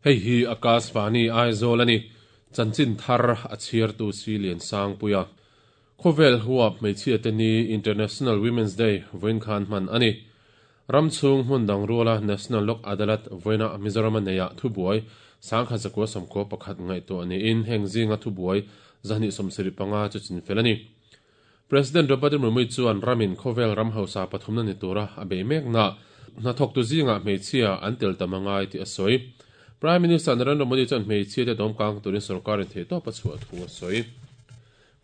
Hei hi Akashvani Aizawl a ni. Chanchin thar a chhiartu si Liansangpuia. Khawvel huap hmeichhiate ni International Women's Day vawiin khan hman a ni. Ram chhung hmun dang ruala National Lok Adalat vawiina Mizorama neiah thubuai 1191 ngaihtuah niin heng zinga thubuai 275 chu chinfel a ni. President Draupadi Murmu chuan ramin khawvel ram hausa pathumna ni tura a bei mekna hnathawktu zingah hmeichhia an tel tam a ngai tih a sawi. Prime Minister Narendra Modi chuan hmeichhia te dawmkang turin sorkarin theihtawp a chhuah thu a sawi.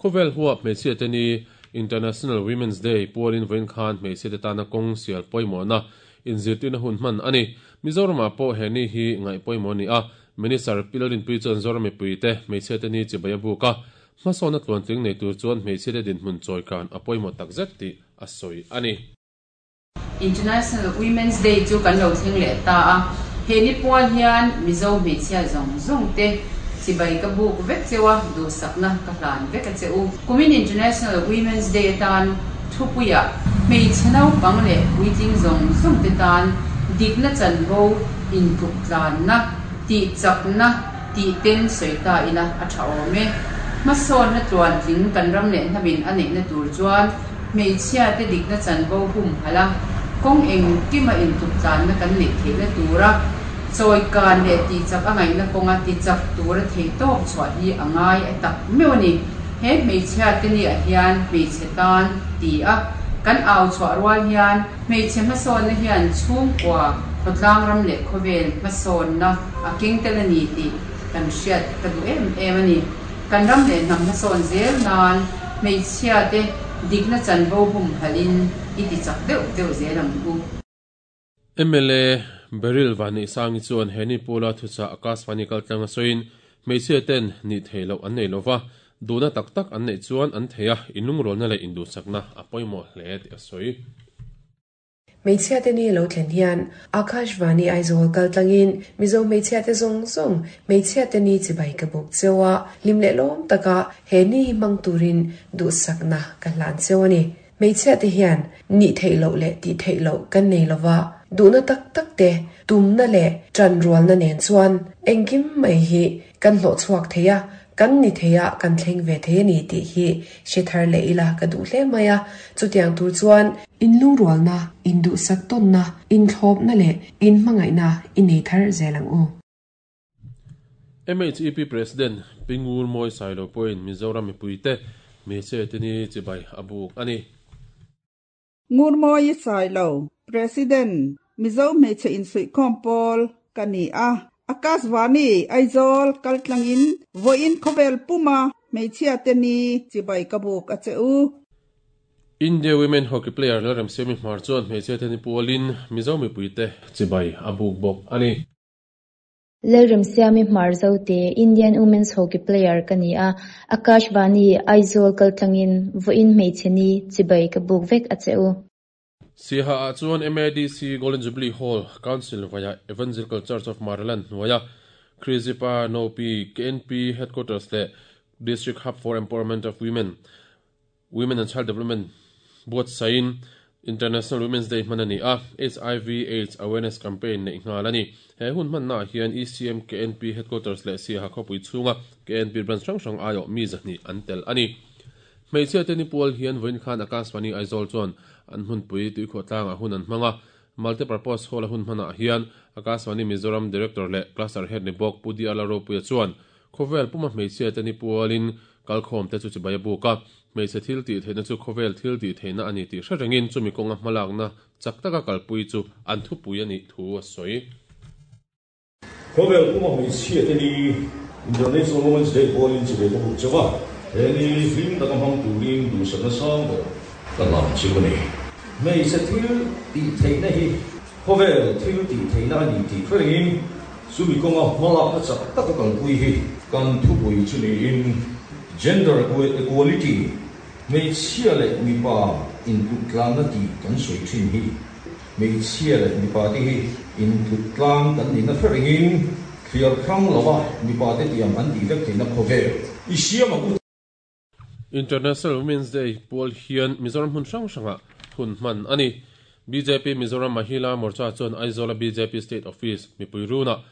Khawvel huap hmeichhia te ni International Women's Day pualin vawiin khan hmeichhia te tana kawng sial pawimawhna inzirtirna hun hman a ni. Mizoramah pawh he ni hi ngaih pawimawh a ni a, Minister Pi Lalrinpuii chuan Zoram mipuite hmeichhia te ni chibai a buk a, Hmasawnna tluantling nei tur chuan hmeichhiate dinhmun chawikan a pawimawh takzet tih a sawi a ni. International Women's Day chu kan lo thleng leh ta a, he ni pual hian Mizo hmeichhia zawng zawng te chibai ka buk vek cheu a, duhsakna ka hlan vek a che u. Kumin International Women's Day atan thupuiah hmeichhe naupang leh puitling zawng zawng te tan dikna chanvo intluk tlanna, tihchakna, Tih ten sawi ta ila a tha awm e. Hmasawnna tluantling kan ram leh hnamin a neihna tur chuan hmeichhia te dikna chanvo humhalh a, kawng engkima intuktlanna kan neih theihna tura chawikan leh tihchak a ngaihna kawnga tichak tura theihtawp chhuah hi a ngai a tak meuh a ni. He hmeichhia te niah hian hmeichhe tan ti a kan au chhuah rual hian hmeichhe hmasawnna hian chhungkua, khawtlang ram leh khawvel hmasawnna a keng tel a ni tih kan hriat ka duh em em a ni. Kan ram leh hnam hmasawn zel nan hmeichhia te dikna chanvo humhalhin i ti chak deuh deuh zel ang u. Mla Beryl Vanneihsangi chuan he ni pula thuchah Akashvani kaltlang a sawiin hmeichhia ten nih theih loh an nei lova, duhna tak tak an neih chuan an thei a, inlungrualna leh induhsakna a pawimawh hle tih a sawi. Hmeichhiate ni lo thlen hian Akashvani Aizawl kal tlangin Mizo hmeichhiate zawng zawng hmeichhiate ni chibai ka buk cheu a, hlim leh lawm taka he ni hi hmang turin duhsakna ka hlan cheu a ni. Hmeichhiate hian nih theih loh leh tih theih loh kan nei lova, duhna tak tak te, tumna leh ṭanrualna nen chuan engkim mai hi kan hlawh chhuak thei a, kan ni thei a, kan thleng ve thei a ni tih hi hre thar leh ila ka duh hle mai a. Chutiang tur chuan inlungrualna, induhsak tawnna, inthlawpna leh inhmangaihna i nei thar zel ang u. MHEP President Pi Ngur Mawi Sailo pawhin Mizoram mipuite hmeichhe te ni chibai a buk a ni. Ngur Mawi Sailo, President, Mizo Hmeichhe Insuihkhawm Pawl ka ni a. Akashvani, Aizawl kaltlangin vawiin khawvel puma hmeichhia te ni chibai ka buk a che u. India Women Hockey player Lalremsiami Hmar chuan hmeichhia te ni pualin Mizo mipuite chibai a buk bawk a ni. Lalremsiami Hmar Zote, Indian Women's Hockey player ka ni a, Akashvani, Aizawl kaltlangin vawiin hmeichhe ni chibai ka buk vek a che u. Siaha ah chuan MADC Golden Jubilee Hall Council via Evangelical Church of Maryland hnuaia Krizipa Nopi KNP Headquarters leh District Hub for Empowerment of Women, Women and Child Development buatsaihin International Women's Day hman a ni a, hiv Aids Awareness Campaign neih nghal a ni. He hun hmannaah hian ECM KNP Headquarters leh Siaha khawpui chhunga KNP branch hrang hrang aiawh mi 200 an tel a ni. Hmeichhia te ni pual hian vawiin khan Akashvani Aizawl chuan an hmunpui tuikhuah tlangah hun an hmang a, Multipurpose Hall a hun hmanah hian Akashvani Mizoram Director leh Cluster Head ni bawk Pu DR Lalropuia chuan Khawvel puma hmeichhia te ni pualin kalkhawm te chu chibai a buk a, hmeichhe thil tih theihna chu khawvel thil tih theihna a ni tih hre rengin chumi kawnga hmalakna chak taka kalpui chu an thupui a nih thu a sawi. Khawvel puma hmeichhia te ni International Women's Day pualin chibai ka buk chauh a, he ni hlim taka hmang turin duhsakna sang ber ka hlan cheu a ni. Hmeichhe thil tih theihna hi Khawvel thil tih theihna a ni tih hre rengin chumi kawnga hmalakna chak taka kalpui hi kan thupui chu niin Gender Equality, hmeichhia leh mipa intluktlanna tih kan sawi thin hi hmeichhia leh mipa te hi intluktlang kan nihna hre rengin thliar hrang lova mipa te tiang an tih vek theihna khawvel i siam ang u. International Women's Day pual hian Mizoram hmun hrang hrangah hun hman a ni. Bjp Mizoram Mahila Morcha chuan Aizawla bjp State Office mipui runah.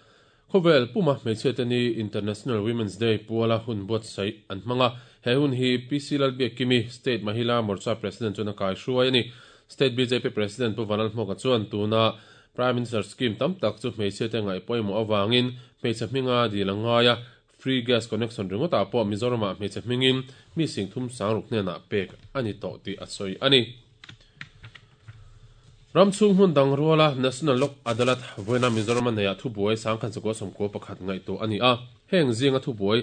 Khawvel puma hmeichhiate ni International Women's Day puala hun buatsaih an hmang a, he hun hi PC Lalbiakkimi, State Mahila Morcha President chuan a kai hruai a ni. State bjp President Pu Vanlalhmawka chuan tuna Prime Minister Scheme tam tak chu hmeichhiate ngaih pawimawh avangin hmeichhe hminga dil a ngai a, Free Gas Connection ringawtah pawh Mizoramah hmeichhe hmingin mi singthum sangruk hnenah pek a ni tawh tih a sawi a ni. Ram chhung hmun dang ruala National Lok Adalat vawiina Mizorama neiah thubuai sangkhan sakua sawmkua pakhat ngaihtuah a ni a, heng zinga thubuai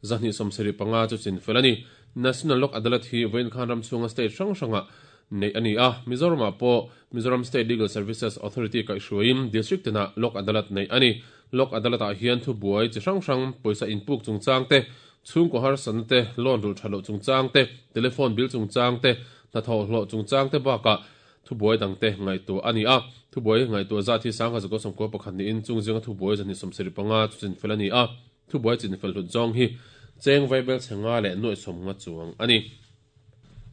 275 chu chinfel a ni. National Lok Adalat hi vawiin khan ram chhunga state hrang hrangah neih a ni a, Mizoramah pawh Mizoram State Legal Services Authority kaihhruaiin District tinah Lok Adalat neih a ni. Lok Adalat-ah hian thubuai chi hrang hrang, pawisa inpuk chungchang te, chhungkaw harsatna te, loan rulh that loh chungchang te, telephone bill chungchang te, hnathawh hlawh chungchang te bakah thubuai dangte ngaihtuah a ni a. Thubuai ngaihtuah zat hi 1991 niin chung zinga thubuai 275 chu chinfel a ni a. Thubuai chinfel hlut zawng hi cheng vaibel chhe nga leh nuaih sawmnga chuang a ni.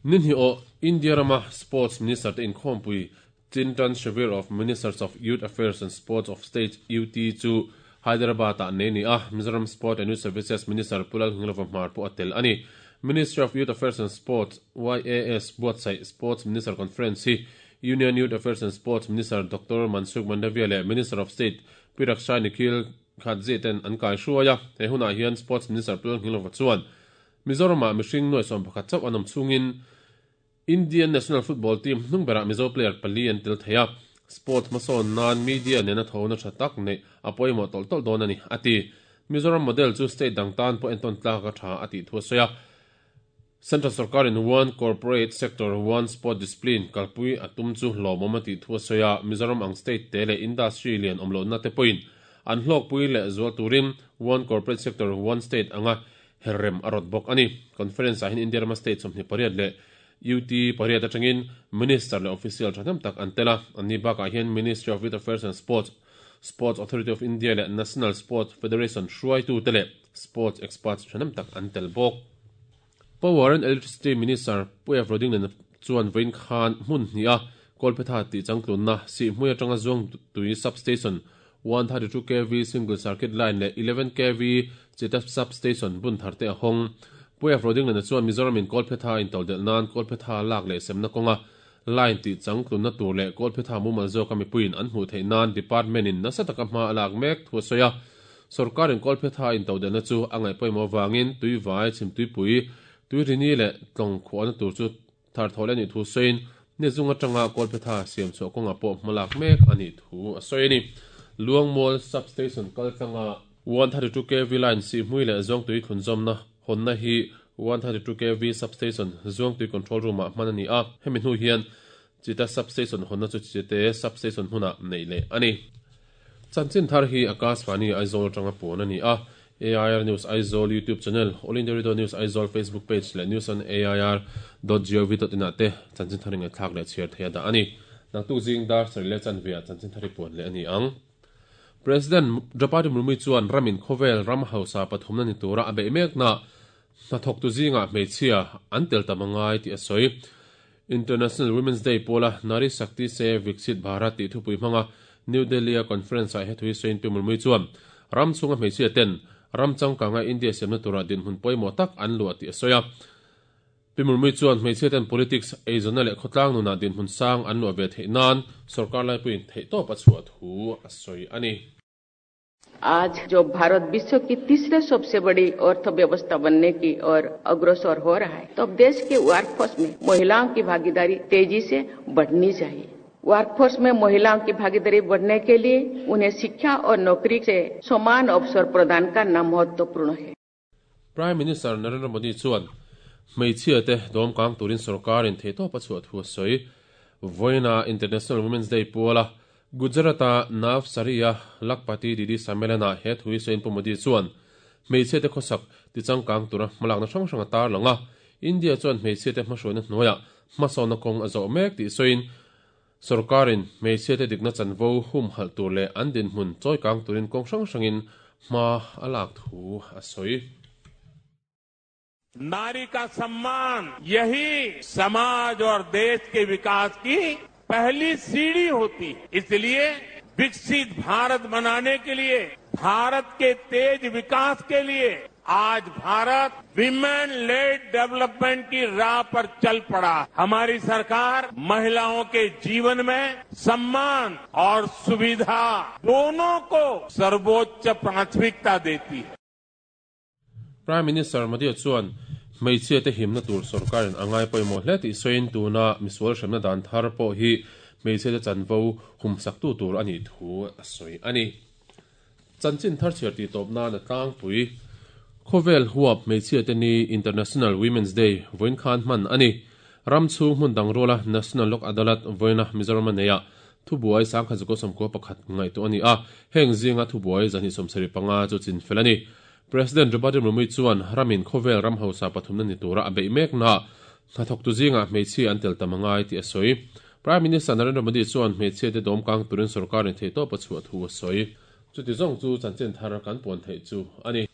Ni hnih awh India rama Sports Minister te inkhawmpui Chintan Shivir of Ministers of Youth Affairs and Sports of States, UT, chu Hyderabad-ah nei a ni a, Mizoram Sport and Youth Services Minister Pu Lalngilova Hmar pawh a tel a ni. Ministry of Youth Affairs and Sports, YAS, buatsaih Sports Minister Conference hi Union Youth Affairs and Sports Minister Doctor Mansukh Mandaviya leh Minister of State Pi Raksha Nikhil Khadze ten an kaihruai a. He hunah hian Sports Minister Pu Lalngilova chuan Mizoramah mihring nuai 11 chauh an awm chungin Indian national football team hnung berah Mizo player pali an tel thei a, sports hmasawn nan media nena thona tha tak neih a pawimawh tawlh tawlh dawn a ni, a ti. Mizoram model chu state dang tan pawh entawn tlak a tha a tih thu a sawi a. Central sorkarin One Corporate Sector, One Sport Discipline kalpui a tum chu hlawmawm a tih thu a sawi a, Mizoram ang state te leh industry lian awm lohna te pawhin an hlawkpui leh zual turin One Corporate Sector, One State anga Herrem a rawt bawk a ni. Conference ah hian India rama state 28 leh UT pariat atangin Minister leh official thahnem tak an tel a. Anni bakah hian Ministry of Youth Affairs and Sports, Sports Authority of India leh National Sports Federation hruaitute leh sports experts thahnem tak an tel bawk. Power and Electricity Minister Pu F. Rodingliana chuan vawiin khan hmun hnih a Kawlphetha tih changtlunna Sihhmui atanga Zuangtui Substation 132 kv single circuit line leh 11 kv Chita Substation bun thar te a hawng. Pu F. Rodingliana chuan Mizoram in Kawlphetha intodelh nan Kawlphetha lak leh semna kawnga line tih changtlunna tur leh Kawlphetha mumal zawka mipuiin an hmuh theih nan department in nasa taka hma a lak mek thu a sawi a. Sorkar in Kawlphetha intodelhna chu a ngaih pawimawh avangin tuivai, chhimtuipui, tuirini leh tlawng khuahna tur chu Thar thaw leh a nih thu sawiin, ni zung atanga Kawlphetha siam chhuah kawngah pawh hmalak mek a nih thu a sawi a ni. Luangmual Sub-Station kaltlanga 132 kv line Sihhmui leh Zuangtui thlunzawmna hawnna hi 132 kv Sub-Station Zuangtui Control Room-ah hman a ni a, hemi hnu hian Chita Sub-Station hawnna chu Chite Sub-Station hmunah neih leh a ni. Chanchin thar hi Akashvani Aizawl atanga puan a ni a, AIR News Aizawl YouTube channel, All India Radio News Aizawl Facebook page leh News on AIR dot gov dot in ah te chanchin thar ingaihthlak leh chhiar thei a dah a ni. Naktuk zing dar sarih leh chanve ah chanchin thar hi puan leh a ni ang. President Draupadi Murmu chuan ramin khawvel ram hausa pathumna ni tura a beih mekna hnathawktu zingah hmeichhia an tel tam a ngai tih a sawi. International Women's Day pawla Nari Shakti Se Viksit Bharat tih thupui hmanga New Delhi-a conference-ah he thui sawiin Pi Murmu chuan ram chhunga hmeichhia ten ram changkanga India siamna tura dinhmun pawimawh tak an luah tih a sawi a. Pi Murmu chuan hmeichhia ten politics, eizawnna leh khawtlang nunah dinhmun sang an luah ve theih nan sorkar laipuiin theihtawp a chhuah thu a sawi a ni. आज जो भारत विश्व की तीसरे सबसे बड़ी अर्थव्यवस्था बनने की ओर अग्रसर हो रहा है तो अब देश के वर्कफोर्स में महिलाओं की भागीदारी तेजी से बढ़नी चाहिए। वर्कफोर्स में महिलाओं की भागीदारी बढ़ने के लिए उन्हें शिक्षा और नौकरी से समान अवसर प्रदान करना महत्वपूर्ण है। Prime Minister Narendra Modi chuan hmeichhia te dawm kang turin sorkarin theihtawp a chhuah thu a sawi. Vawiina International Women's Day puala Gujarat-a Navsari-a Lakhpati Didi Sammelan-ah he thu hi sawiin Pu Modi chuan hmeichhia te khawsak tichangkang tura hmalakna hrang hrang a tarlang a, India chuan hmeichhia te hmahruaina hnuaiah hmasawnna kawng a zawh mek tih sawiin sorkarin hmeichhia te dikna chanvo humhalh tur leh an dinhmun chawikang turin kawng hrang hrangin hma a lak thu a sawi. नारी का सम्मान यही समाज और देश के विकास की पहली सीढ़ी होती है, इसलिए विकसित भारत बनाने के लिए Bharat के तेज विकास के लिए आज भारत women led development की राह पर चल पड़ा। हमारी सरकार महिलाओं के जीवन में सम्मान और सुविधा दोनों को सर्वोच्च प्राथमिकता देती है। Prime Minister Modi chuan hmeichhia te himna tur sorkarin a ngai pawimawh hle tih sawiin tuna misual hremna dan thar pawh hi hmeichhia te chanvo humsaktu tur a nih thu a sawi a ni. Chanchin thar chhiar tih tawp nan a tlangpui. Khawvel huap hmeichhia te ni International Women's Day vawiin khan hman a ni. Ram chhung hmun dang ruala National Lok Adalat vawiina Mizoram a neih ah thubuai 1191 ngaihtuah a ni a, heng zinga thubuai 275 chu chinfel a ni. President Draupadi Murmu chuan ramin khawvel ram hausa pathumna ni tura a beih meknaah hnathawktu zingah hmeichhia an tel tam a ngai tih a sawi. Prime Minister Narendra Modi chuan hmeichhiate dawmkang turin sorkarin theihtawp a chhuah thu a sawi. Chuti zawng chu chanchin thar kan puan theih chu a ni.